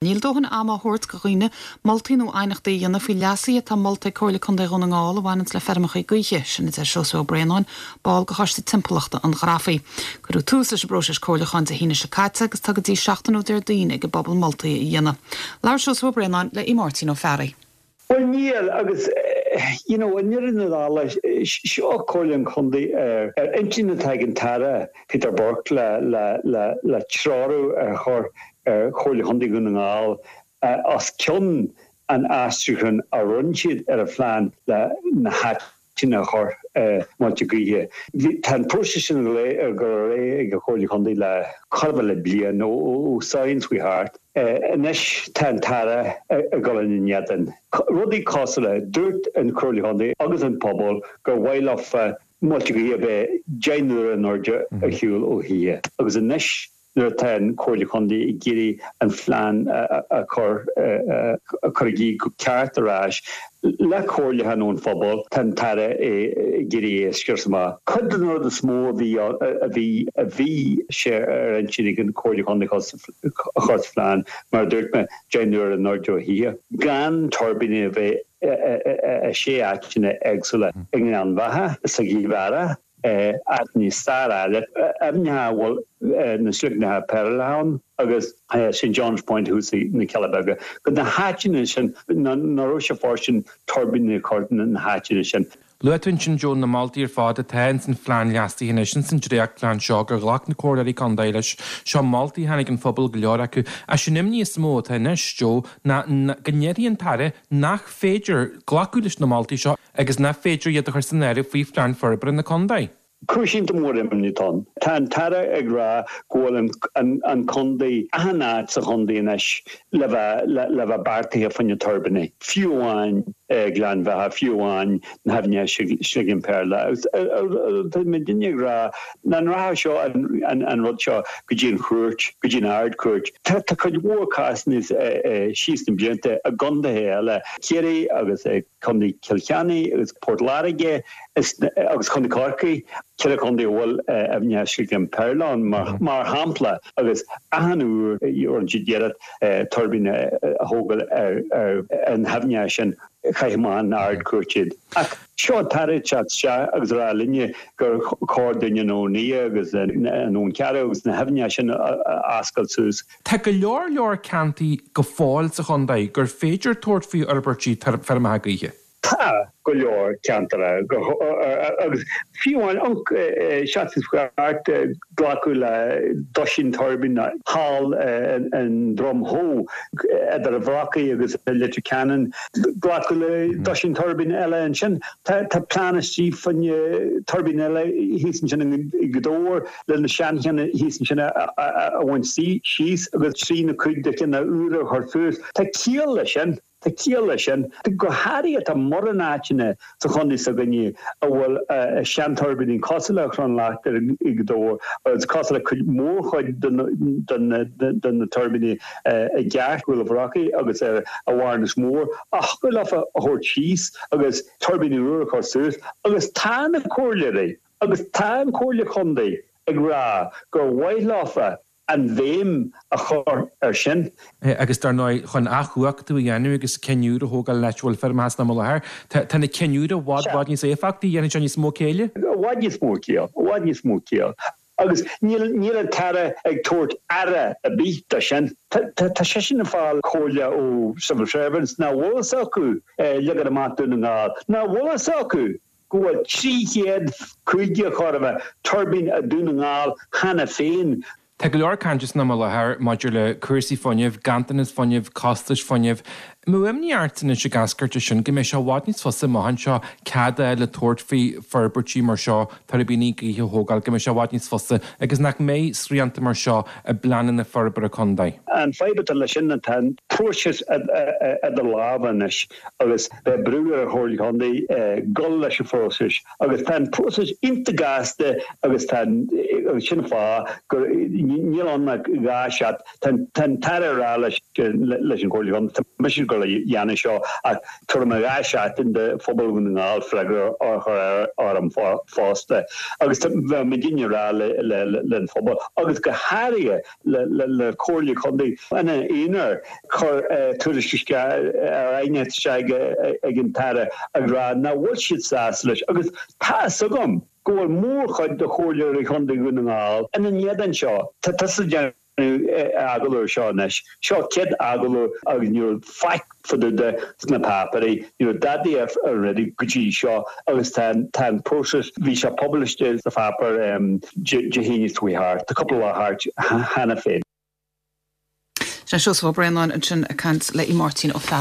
Níl dóthain ama á thabhairt go dhaoine moltaí nó aighneachtaí a dhéanamh faoi leasuithe atá molta ag Comhairle Contae Dhún na nGall a bhaineanns le feirmeacha gaoithe, sin a deir Seosamh Ó Braonáin, ball de Choiste Timpeallachta an Ghrafaidh. Cuireadh tús leis an bpróiseas comhairliúcháin Dé hAoine seo caite agus tá go dtí seachtain ó Déardaoin ag an bpobal moltaí a dhéanamh. Labhair Seosamh Ó Braonáin le Máirtín Ó Fearraigh. Bhuel níl, agus you know i ndeireadh na dála, seo Comhairle an Chontae ar ar intinn atá ag an tAire Peter Burke le le le le treorú a chur ar Chomhairle Chontae Dhún na nGall os cionn an aistriúcháin a rinne siad ar an phlean le na háiteanna a chur muilte gaoithe. Tá an próiseas sin ag dul ar aghaidh ag an Chomhairle Chontae le chóir a bheith le bliain, ó Samhain chuaigh thart. Anois tá an tAire ag dul ina n-éadan. Rudaí cosúil le, dúirt an Chomhairle Chontae agus an pobal gur mhaith leofa muilte gaoithe a bheith 10 n-uaire in airde ar shiúl ó thithe agus anois nuair atá an Chomhairle Chontae ag iarraidh an phlean a chur a chur i gcrích go ceart ar ais le comhairliúchán ón phobal, tá an tAire ag iarraidh é a scrios amach. Cuid den rud is mó a bhí a bhí a bhí sé ar intinn ag an Chomhairle Chontae a chur sa phlean, mar a dúirt mé, 10 n-uaire in airde ó thithe, gan tuirbíní a bheith i sé áiteanna éagsúla i nGleann Bheatha, sa Ghaoth Mheara. áiteanna stairiúla, aibhneacha a bhfuil na sloigneacha péarla ann agus St John's Point thuas na Cealla Beaga, go na háiteanna sin, nach raibh sé fóirstean tuirbíní a chur na háiteanna sin. Luaigh tú ansin, Joe, na moltaí ar fad atá ins an phlean leasaithe anois, ins an dréachtphlean seo gur ghlac na comhairleoirí contae leis. Seo moltaí a tháinig ón phobal, go leor acu. Ach sé an imní is mó atá anois, Joe, ná go ndéarfaidh an tAire nach féidir glacadh leis na moltaí seo agus nach féidir iad a chur san áireamh faoi Phlean Forbartha na Contae. Cúis iontach mór imní atá ann. Tá an tAire ag rá go bhfuil an contae, achan áit sa chontae anois le bheith le bheith beartaithe fá choinne tuirbíní, fiú amháin Gleann Bheatha, fiú amháin na haibhneacha Sligin Péarla. Agus tá muidinne ag rá nach rachadh seo an rud seo go dtí an chúirt, go dtí an Ard-Chúirt. Tá cuid mhór cásanna síos na blianta i gcontaetha eile, Ciarraí agus i Contae Chill Chainnigh agus Port Láirge agus Contae Chorcaí, ceithre chontae a bhfuil aibhneacha Sligin Péarla ann, mar shampla, agus achan uair a rinne siad iarracht tuirbín a thógáil ar na haibhneacha sin, chaith amach an Ard-Chúirt iad. Ach seo an tAire ag teacht isteach agus ag rá linne gur chóir dúinn an Abhainn Liath agus an Abhainn Chearra agus na haibhneacha sin a oscailt suas. Tá go leor leor ceantaí go fóill sa chontae gur féidir tabhairt faoi fhorbairtí feirmeacha gaoithe. Tá go leor ceantar agus fiú amháin seachtain seo thart glacadh le doisín tuirbín thall in Droim Shó idir an Bhrocaigh agus Leitir Ceanainn. Glacadh le doisín tuirbín eile ansin. Tá plean istigh fá choinne tuirbín eile thíos ansin i nGaoth Dobhair. le na seancheanna thíos ansin a bhaint síos agus trí nó cúig de cheanna úra a chur suas. Tá ciall leis sin. Tá ciall leis sin. Go háirithe tá mórán áiteanna sa chontae s'againne a bhfuil seantuirbíní cosúil le Crann Lachtair i Gaoth Dobhair agus cosúil le cuid mórchuid de na tuirbíní i gCearc, Úll an Bhrocaigh agus ar an Bharnas Mór a thiocfadh leofa a thabhairt síos agus tuirbíní úra a chur suas agus tá na comhairleoirí Agus tá an Chomhairle Chontae ag rá gur mhaith leofa an bhéim a chur ar sin. Agus dar ndóigh, chun athchumhachtú a dhéanamh agus cinn úr a thógáil in áit a bhfuil feirmeacha san am i láthair, tá na cinn úr i bhfad, bhfad níos éifeachtaí, dhéanfaidh sé níos mó céille. I bhfad níos mó ciall, i bhfad níos mó ciall. Agus níl, níl an tAire ag tabhairt aire ar bith do sin. Tá, tá seisean ag fáil comhairle ó civil servants nach bhfuil fhios acu leagan amach Dún na nGall, nach bhfuil fhios acu go bhfuil 350 chóir a bheith tuirbín i Dún na nGall cheana féin. Tá go leor cainte san am i láthair maidir le cúrsaí fuinnimh, ganntanas fuinnimh, costais fuinnimh. An mbeadh imní ort anois ag eascairt as sin go mbeidh sé i bhfad níos fusa amach anseo cead a fháil le tabhairt faoi forbairtí mar seo, tuirbíní gaoithe a thógáil, go mbeidh sé i bhfad níos fusa agus nach mbeidh srianta mar seo i bpleananna forbartha contae? An fadhb atá leis sin ná tá an próiseas idir lámha anois agus beidh brú ar an Chomhairle Contae dul leis an phróiseas agus tá an próiseas iontach gasta agus tá agus sin an fáth gur níl ann ach 2 seat tá an tAire ag rá leis leis an Chomhairle Contae tá mise ag dul. le dhéanamh seo ach tabharfaidh mé 2 seachtain do phobal Dhún na nGall freagra a chur orm fosta agus bheadh muidinne ag rá le an phobal agus go háirithe le Comhairle Contae ina aonar chuir tuairisc isteach ar aighneacht isteach ag an tAire ag rá nach bhfuil siad sásta leis agus tá fhios agam go bhfuil mórchuid de Chomhairleoirí Chontae Dhún na nGall ina n-éadan seo. Tá tusa ag déanamh agallamh air seo anois. Seo céad agallamh agus ní raibh faic fá dtaobh de sna páipéirí, ní raibh dadaí ar an rudaí go dtí seo agus tá tá an próiseas, bhí sé published sa pháipéar Dé hAoine seo chuaigh thart, tá cúpla lá thart cheana féin. Sin Seosamh Ó Braonáin ansin ag caint le Máirtín Ó Fearraigh.